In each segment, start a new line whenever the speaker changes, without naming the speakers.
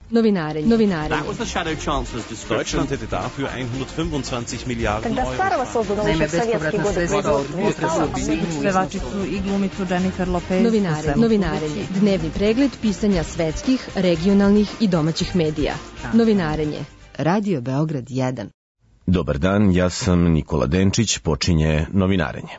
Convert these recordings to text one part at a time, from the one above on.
Novinarenje.
That was the Shadow Chancellor's description.
Deutschland hätte dafür 125 Miliarden
Когда Старого создано еще в советские годы производства,
pevačicu i glumicu Jennifer Lopez.
Novinarenje. Dnevni pregled pisanja svetskih, regionalnih i domaćih medija. Novinarenje. Radio Beograd 1.
Dobar dan, ja sam Nikola Denčić, počinje Novinarenje.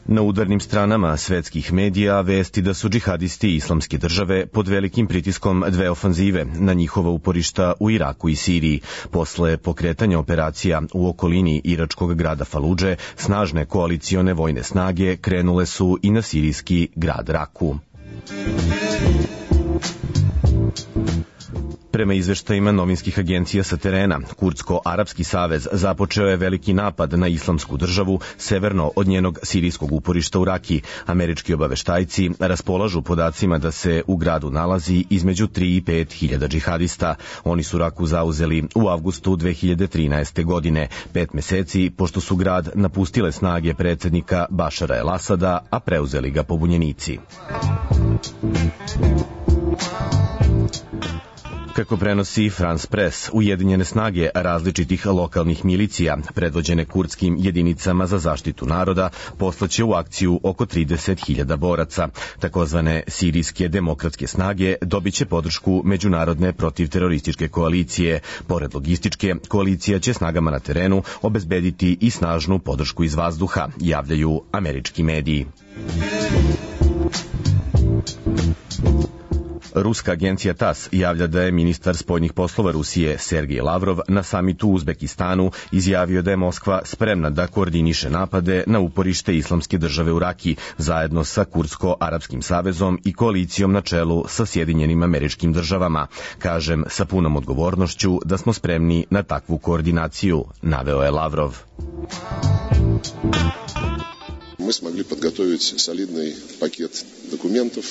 Na udarnim stranama svetskih medija vesti da su džihadisti Islamske države pod velikim pritiskom dve ofanzive na njihova uporišta u Iraku i Siriji. Posle pokretanja operacija u okolini iračkog grada Faludže, snažne koalicione vojne snage krenule su i na sirijski grad Raku. Prema izveštajima novinskih agencija sa terena, Kurdsko-Arapski savez započeo je veliki napad na Islamsku državu severno od njenog sirijskog uporišta u Raki. Američki obaveštajci raspolažu podacima da se u gradu nalazi između 3 i 5 hiljada džihadista. Oni su Raku zauzeli u avgustu 2013. godine, 5 meseci pošto su grad napustile snage predsjednika Bašara el-Asada, a preuzeli ga pobunjenici. Kako prenosi France Press, ujedinjene snage različitih lokalnih milicija, predvođene kurdskim jedinicama za zaštitu naroda, poslaće u akciju oko 30.000 boraca. Takozvane sirijske demokratske snage dobit će podršku međunarodne protivterorističke koalicije. Pored logističke, koalicija će snagama na terenu obezbediti i snažnu podršku iz vazduha, javljaju američki mediji. Ruska agencija TAS javlja da je ministar spoljnih poslova Rusije Sergej Lavrov na samitu u Uzbekistanu izjavio da je Moskva spremna da koordiniše napade na uporište Islamske države u Raki zajedno sa Kurdsko-Arapskim savezom i koalicijom na čelu sa Sjedinjenim Američkim Državama. Kažem sa punom odgovornošću da smo spremni na takvu koordinaciju, naveo je Lavrov.
Мы смогли подготовить солидный пакет документов.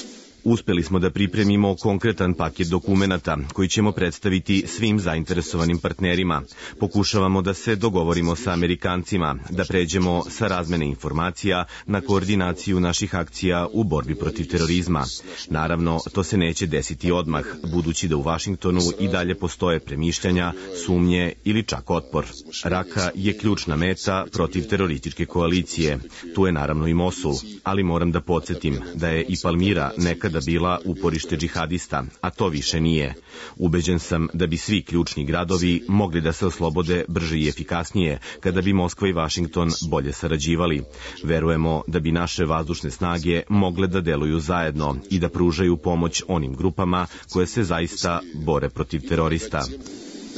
Uspeli smo da pripremimo konkretan paket dokumenata koji ćemo predstaviti svim zainteresovanim partnerima. Pokušavamo da se dogovorimo sa Amerikancima, da pređemo sa razmene informacija na koordinaciju naših akcija u borbi protiv terorizma. Naravno, to se neće desiti odmah, budući da u Vašingtonu i dalje postoje premišljanja, sumnje ili čak otpor. Raka je ključna meta protiv terorističke koalicije. Tu je naravno i Mosul, ali moram da podsjetim da je i Palmira nekada bila uporište džihadista, a to više nije. Ubeđen sam da bi svi ključni gradovi mogli da se oslobode brže i efikasnije kada bi Moskva i Vašington bolje sarađivali. Verujemo da bi naše vazdušne snage mogle da deluju zajedno i da pružaju pomoć onim grupama koje se zaista bore protiv terorista.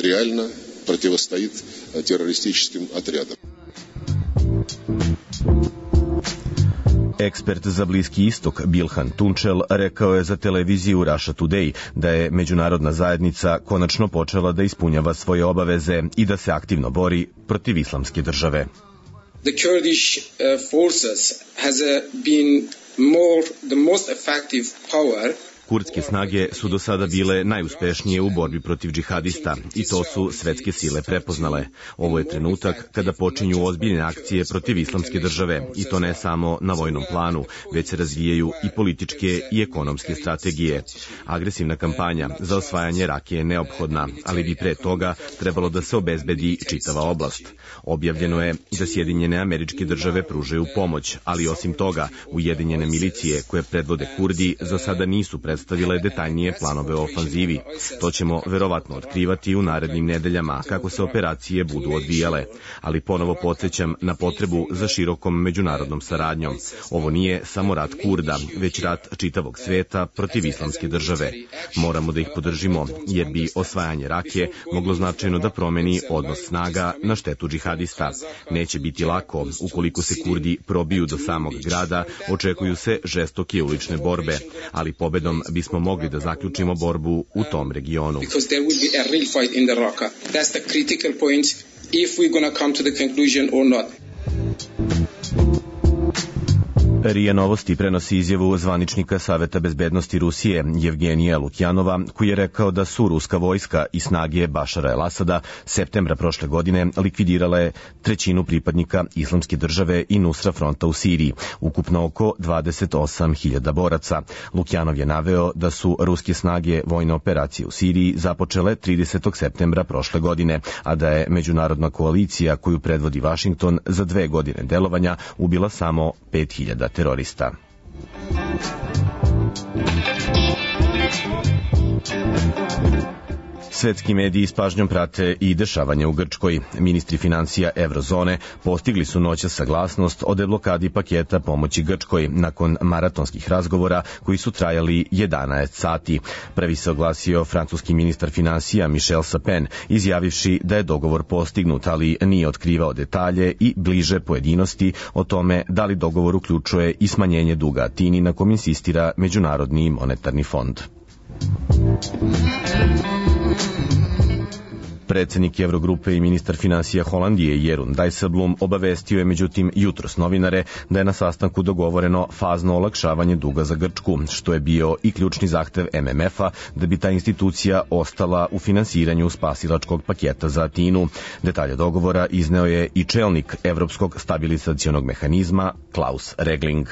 Realno protivostojit terorističkim odredom.
Ekspert za Bliski istok Bilhan Tunčel rekao je za televiziju Russia Today da je međunarodna zajednica konačno počela da ispunjava svoje obaveze i da se aktivno bori protiv Islamske države.
The Kurdish forces has been the most effective power.
Kurdske snage su do sada bile najuspešnije u borbi protiv džihadista i to su svetske sile prepoznale. Ovo je trenutak kada počinju ozbiljne akcije protiv Islamske države i to ne samo na vojnom planu, već se razvijaju i političke i ekonomske strategije. Agresivna kampanja za osvajanje Rake je neophodna, ali bi pre toga trebalo da se obezbedi čitava oblast. Objavljeno je da Sjedinjene Američke Države pružaju pomoć, ali osim toga, ujedinjene milicije koje predvode Kurdi za sada nisu predstavile detaljnije planove o ofanzivi. To ćemo verovatno otkrivati u narednim nedeljama kako se operacije budu odvijale, ali ponovo podsjećam na potrebu za širokom međunarodnom saradnjom. Ovo nije samo rat Kurda, već rat čitavog sveta protiv Islamske države. Moramo da ih podržimo, jer bi osvajanje Rake moglo značajno da promeni odnos snaga na štetu džihadista. Neće biti lako, ukoliko se Kurdi probiju do samog grada, očekuju se žestoke ulične borbe, ali pobedom bismo mogli da zaključimo borbu u tom regionu.
Because there will be a real fight in the Raqqa. That's the critical point if we're going to come to the conclusion or not.
RIA Novosti prenosi izjavu zvaničnika Saveta bezbednosti Rusije Jevgenija Lukjanova, koji je rekao da su ruska vojska i snage Bašara el-Asada septembra prošle godine likvidirale trećinu pripadnika Islamske države i Nusra fronta u Siriji, ukupno oko 28.000 boraca. Lukjanov je naveo da su ruske snage vojne operacije u Siriji započele 30. septembra prošle godine, a da je međunarodna koalicija koju predvodi Vašington za 2 godine delovanja ubila samo 5.000 terorista. Svetski mediji s pažnjom prate i dešavanja u Grčkoj. Ministri financija Evrozone postigli su noćas saglasnost o deblokadi paketa pomoći Grčkoj nakon maratonskih razgovora koji su trajali 11 sati. Prvi se oglasio francuski ministar financija Michel Sapin, izjavivši da je dogovor postignut, ali nije otkrivao detalje i bliže pojedinosti o tome da li dogovor uključuje i smanjenje duga Atini, na kom insistira Međunarodni monetarni fond. Predsednik Evrogrupe i ministar financija Holandije Jeroen Dijsselbloem obavestio je međutim jutros novinare da je na sastanku dogovoreno fazno olakšavanje duga za Grčku, što je bio i ključni zahtev MMF-a da bi ta institucija ostala u finansiranju spasilačkog paketa za Atinu. Detalje dogovora izneo je i čelnik Evropskog stabilizacionog mehanizma Klaus Regling.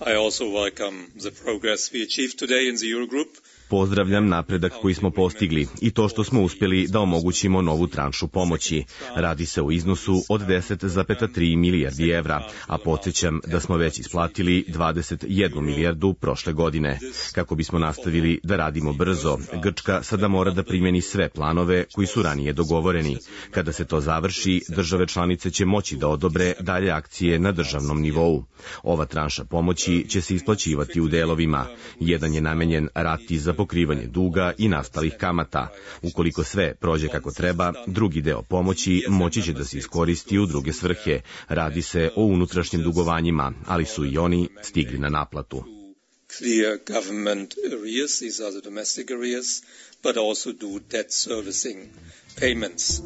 I also welcome the progress we achieved today in the Eurogroup.
Pozdravljam napredak koji smo postigli i to što smo uspjeli da omogućimo novu tranšu pomoći. Radi se o iznosu od 10,3 milijardi evra, a podsjećam da smo već isplatili 21 milijardu prošle godine. Kako bismo nastavili da radimo brzo, Grčka sada mora da primjeni sve planove koji su ranije dogovoreni. Kada se to završi, države članice će moći da odobre dalje akcije na državnom nivou. Ova tranša pomoći će se isplaćivati u delovima. Jedan je namenjen rati za pokrivanje duga i nastalih kamata. Ukoliko sve prođe kako treba, drugi deo pomoći moći će da se iskoristi u druge svrhe. Radi se o unutrašnjim dugovanjima, ali su i oni stigli na naplatu.
Clear government arrears, these are the domestic arrears, but also do debt servicing payments.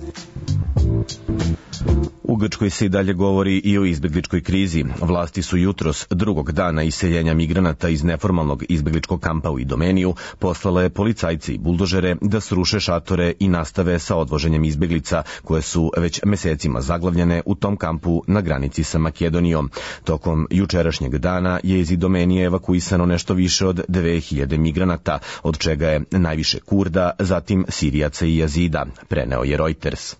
U Grčkoj se i dalje govori i o izbegličkoj krizi. Vlasti su jutros, drugog dana iseljenja migranata iz neformalnog izbegličkog kampa u Idomeniju, poslale policajce i buldožere da sruše šatore i nastave sa odvoženjem izbeglica, koje su već mesecima zaglavljene u tom kampu na granici sa Makedonijom. Tokom jučerašnjeg dana je iz Idomenije evakuisano nešto više od 2000 migranata, od čega je najviše Kurda, zatim Sirijaca i Jazida, preneo je Reuters.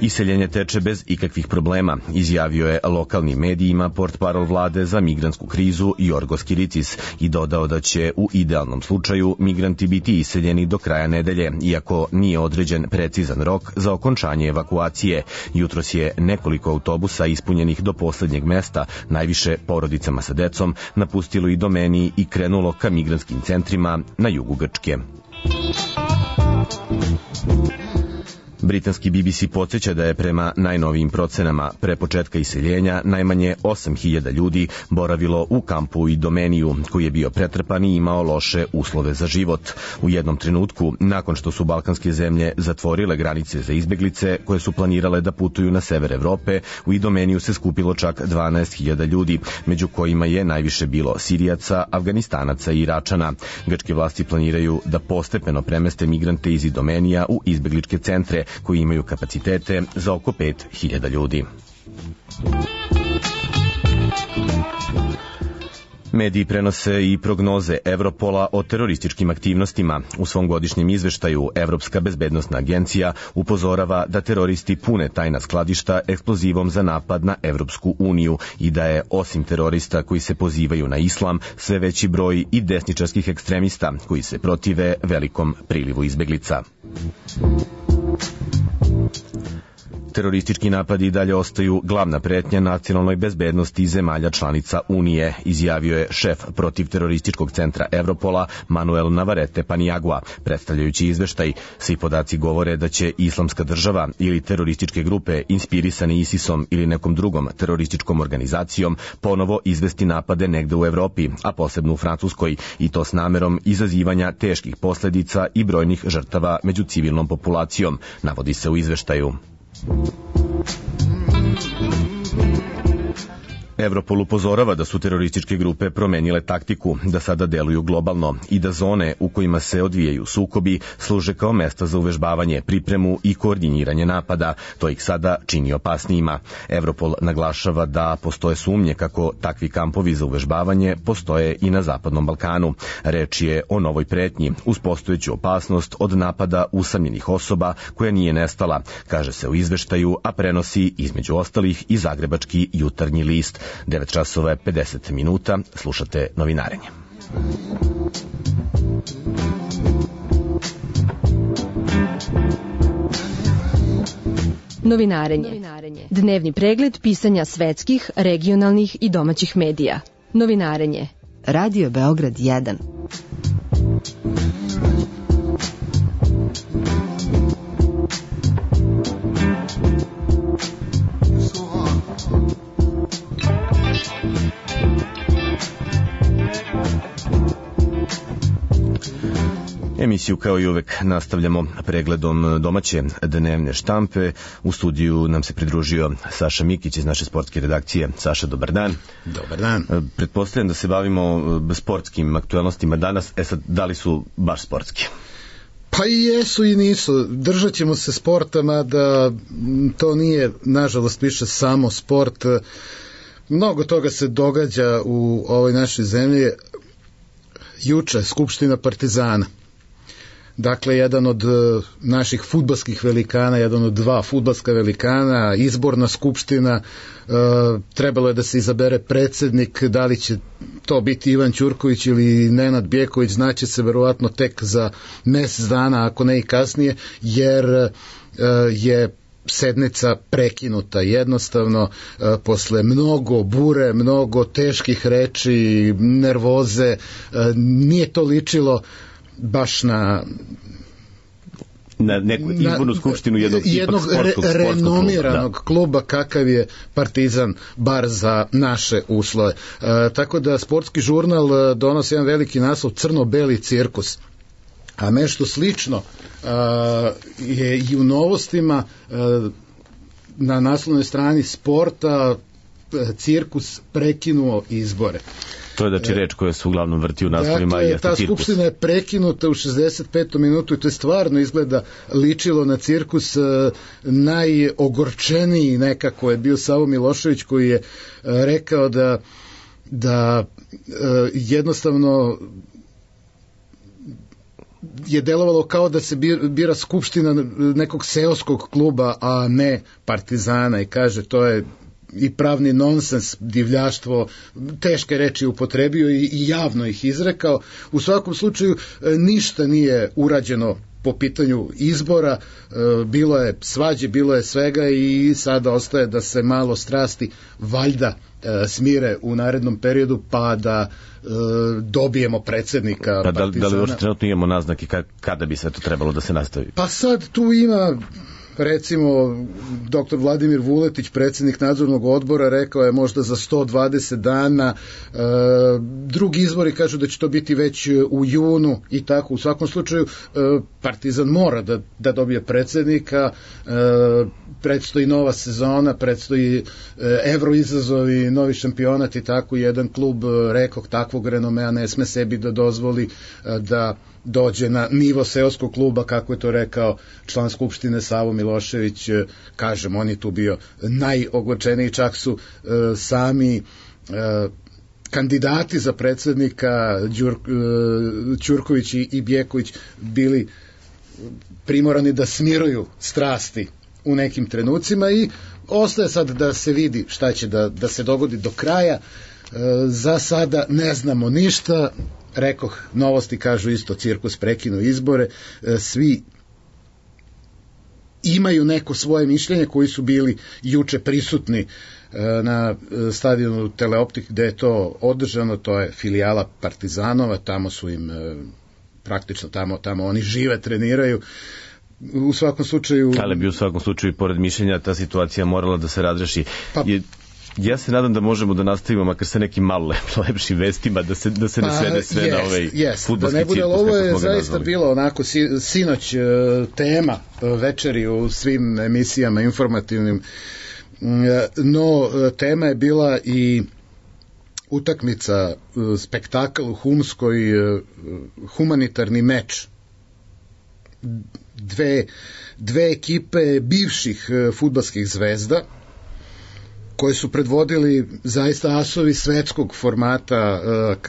Iseljenje teče bez ikakvih problema, izjavio je lokalnim medijima portparol vlade za migrantsku krizu Jorgos Kiricis i dodao da će u idealnom slučaju migranti biti iseljeni do kraja nedelje, iako nije određen precizan rok za okončanje evakuacije. Jutros je nekoliko autobusa ispunjenih do poslednjeg mesta, najviše porodicama sa decom, napustilo Idomeniju i krenulo ka migrantskim centrima na jugu Grčke. Britanski BBC podsjeća da je prema najnovijim procenama pre početka iseljenja najmanje 8.000 ljudi boravilo u kampu u Idomeniju, koji je bio pretrpan i imao loše uslove za život. U jednom trenutku, nakon što su balkanske zemlje zatvorile granice za izbeglice koje su planirale da putuju na sever Evrope, u Idomeniju se skupilo čak 12.000 ljudi, među kojima je najviše bilo Sirijaca, Afganistanaca i Iračana. Grčke vlasti planiraju da postepeno premeste migrante iz Idomenija u izbegličke centre, koji imaju kapacitete za oko 5.000 ljudi. Mediji prenose i prognoze Evropola o terorističkim aktivnostima. U svom godišnjem izveštaju Evropska bezbednosna agencija upozorava da teroristi pune tajna skladišta eksplozivom za napad na Evropsku uniju i da je, osim terorista koji se pozivaju na islam, sve veći broj i desničarskih ekstremista koji se protive velikom prilivu izbeglica. Teroristički napadi i dalje ostaju glavna pretnja nacionalnoj bezbednosti zemalja članica Unije, izjavio je šef protivterorističkog centra Evropola Manuel Navarrete Paniagua, predstavljajući izveštaj. Svi podaci govore da će Islamska država ili terorističke grupe inspirisani ISIS-om ili nekom drugom terorističkom organizacijom ponovo izvesti napade negde u Evropi, a posebno u Francuskoj, i to s namerom izazivanja teških posledica i brojnih žrtava među civilnom populacijom, navodi se u izveštaju. Europol upozorava da su terorističke grupe promenile taktiku, da sada deluju globalno i da zone u kojima se odvijaju sukobi služe kao mesta za uvežbavanje, pripremu i koordiniranje napada. To ih sada čini opasnijima. Europol naglašava da postoje sumnje kako takvi kampovi za uvežbavanje postoje i na Zapadnom Balkanu. Reč je o novoj pretnji uz postojeću opasnost od napada usamljenih osoba koja nije nestala, kaže se u izveštaju, a prenosi između ostalih i zagrebački Jutarnji list. 9 časova je 50 minuta, slušate Novinarenje.
Novinarenje. Dnevni pregled pisanja svetskih, regionalnih i domaćih medija. Novinarenje. Radio Beograd 1.
Emisiju kao i uvek nastavljamo pregledom domaće dnevne štampe. U studiju nam se pridružio Saša Mikić iz naše sportske redakcije. Saša, dobar dan.
Dobar dan.
Pretpostavljam da se bavimo sportskim aktualnostima danas. Sad, da li su baš sportski?
Pa i jesu i nisu. Držat ćemo se sporta, mada to nije, nažalost, više samo sport. Mnogo toga se događa u ovoj našoj zemlji. Juče Skupština Partizana. Dakle, jedan od naših fudbalskih velikana, jedan od dva fudbalska velikana, izborna skupština, trebalo je da se izabere predsednik, da li će to biti Ivan Ćurković ili Nenad Bjeković, znaće se verovatno tek za mesec dana, ako ne i kasnije, jer je sednica prekinuta jednostavno posle mnogo bure, mnogo teških reči, nervoze, nije to ličilo baš na neku izbornu skupštinu jednog renomiranog kluba kakav je Partizan, bar za naše uslove. Tako da sportski žurnal donosi jedan veliki naslov Crno-beli cirkus. A nešto slično je i u novostima na naslovnoj strani Sporta cirkus prekinuo izbore.
To je znači reč koja se uglavnom vrti u naslovima i jeste cirkus.
Ta skupština je prekinuta u 65. minutu i to je stvarno izgleda ličilo na cirkus. Najogorčeniji nekako je bio Savo Milošević koji je rekao da jednostavno je delovalo kao da se bira skupština nekog seoskog kluba, a ne Partizana, i kaže to je i pravni nonsens, divljaštvo, teške reči upotrebio i javno ih izrekao. U svakom slučaju ništa nije urađeno po pitanju izbora, bilo je svađe, bilo je svega i sada ostaje da se malo strasti valjda smire u narednom periodu pa da dobijemo predsednika Partizana.
Da li uopšte trenutno imamo naznake kada bi sve to trebalo da se nastavi?
Pa sad tu ima, recimo, dr. Vladimir Vuletić, predsjednik nadzornog odbora, rekao je možda za 120 dana, drugi izbori kažu da će to biti već u junu i tako. U svakom slučaju Partizan mora da dobije predsjednika, predstoji nova sezona, predstoji evro izazovi, novi šampionat i tako. Jedan klub, rekoh, takvog renomea ne sme sebi da dozvoli da dođe na nivo seoskog kluba, kako je to rekao član skupštine Savo Milošević. Kažem, on je tu bio najogorčeniji, čak su sami kandidati za predsednika Ćurković i Bjeković bili primorani da smiruju strasti u nekim trenucima i ostaje sad da se vidi šta će da se dogodi do kraja. Za sada ne znamo ništa. Rekoh, novosti kažu isto, cirkus prekinuo izbore, svi imaju neko svoje mišljenje koji su bili juče prisutni na stadionu Teleoptik gde je to održano, to je filijala Partizanova, tamo su im praktično tamo oni žive, treniraju. U svakom slučaju...
Ali bi u svakom slučaju, pored mišljenja, ta situacija morala da se razreši. Ja se nadam da možemo da nastavimo makar sa nekim malo lepšim vestima, da se ne svede sve na ovaj fudbalski cirkus.
Ovo je zaista bilo onako sinoć tema večeri u svim emisijama informativnim. No, tema je bila i utakmica, spektakl u Humskoj, humanitarni meč. Dve ekipe bivših fudbalskih zvezda koje su predvodili zaista asovi svetskog formata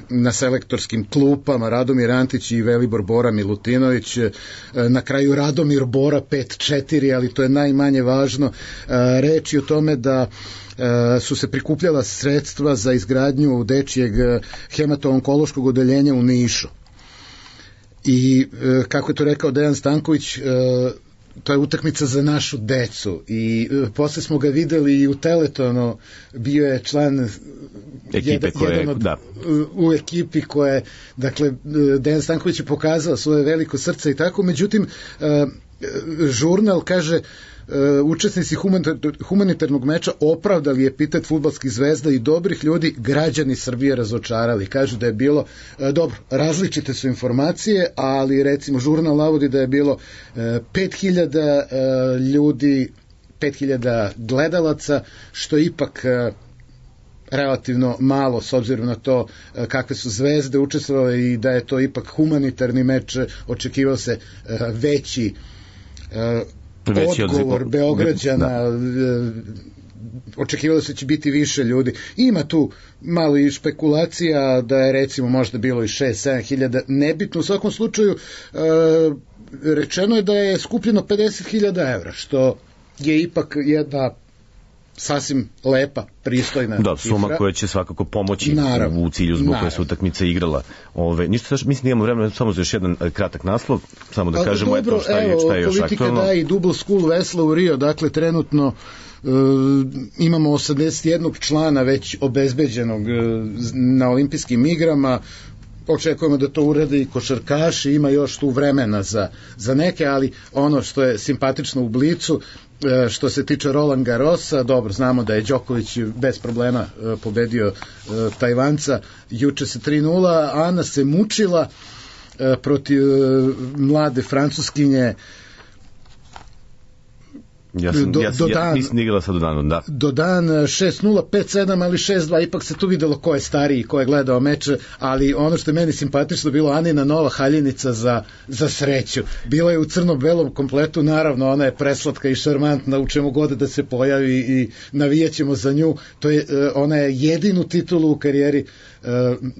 na selektorskim klupama, Radomir Antić i Velibor Bora Milutinović, na kraju Radomir Bora 5-4, ali to je najmanje važno. Reč je o tome da su se prikupljala sredstva za izgradnju dečijeg hemato-onkološkog odeljenja u Nišu. I kako je to rekao Dejan Stanković, to je utakmica za našu decu i posle smo ga videli i u Teletonu, bio je član
ekipe
u ekipi koje, dakle, Dejan Stanković je pokazao svoje veliko srce i tako, međutim žurnal kaže učesnici humanitarnog meča opravdali epitet fudbalskih zvezda i dobrih ljudi, građani Srbije razočarali. Kažu da je bilo, dobro, različite su informacije, ali recimo žurnal navodi da je bilo 5000 ljudi, 5000 gledalaca, što je ipak relativno malo s obzirom na to kakve su zvezde učestvovale i da je to ipak humanitarni meč, očekivao se veći odgovor Beograđana, očekivalo se će biti više ljudi. Ima tu malo i špekulacija da je recimo možda bilo i 6-7 hiljada, nebitno. U svakom slučaju rečeno je da je skupljeno 50.000 evra, što je ipak jedna sasvim lepa, pristojna
da, suma koja će svakako pomoći u cilju zbog koje se utakmica igrala. Ništa, mislim da imamo vremena samo za još jedan kratak naslov, samo da kažemo
dobro,
šta je još aktualno.
Politika daje i Double School vesla u Rio, dakle trenutno imamo 81 člana već obezbeđenog na olimpijskim igrama. Očekujemo da to urade i košarkaši, ima još tu vremena za neke, ali ono što je simpatično u Blicu, što se tiče Roland Garrosa, dobro, znamo da je Đoković bez problema pobedio Tajvanca, juče se 3-0, Ana se mučila protiv mlade Francuskinje.
Ja nisam igrala sa Dodanom, da.
Dodan 6-0, 5-7, ali 6-2, ipak se tu videlo ko je stariji, ko je gledao meč, ali ono što je meni simpatično bilo Anina nova haljenica za sreću. Bila je u crno-belom kompletu, naravno ona je preslatka i šarmantna u čemu god da se pojavi i navijaćemo za nju. Ona je jedinu titulu u karijeri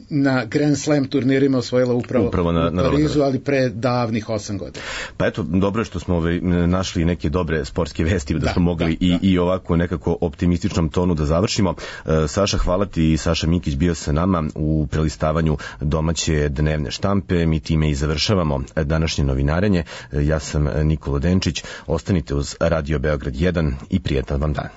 na Grand Slam turnirima osvojila upravo na Parizu, ali pre davnih 8 godina.
Pa eto, dobro je što smo našli neke dobre sportske vesti, da smo mogli i ovako nekako optimističnom tonu da završimo. Saša, hvala ti. Saša Mikić bio sa nama u prelistavanju domaće dnevne štampe. Mi time i završavamo današnje novinarenje. Ja sam Nikola Denčić. Ostanite uz Radio Beograd 1 i prijetan vam dan.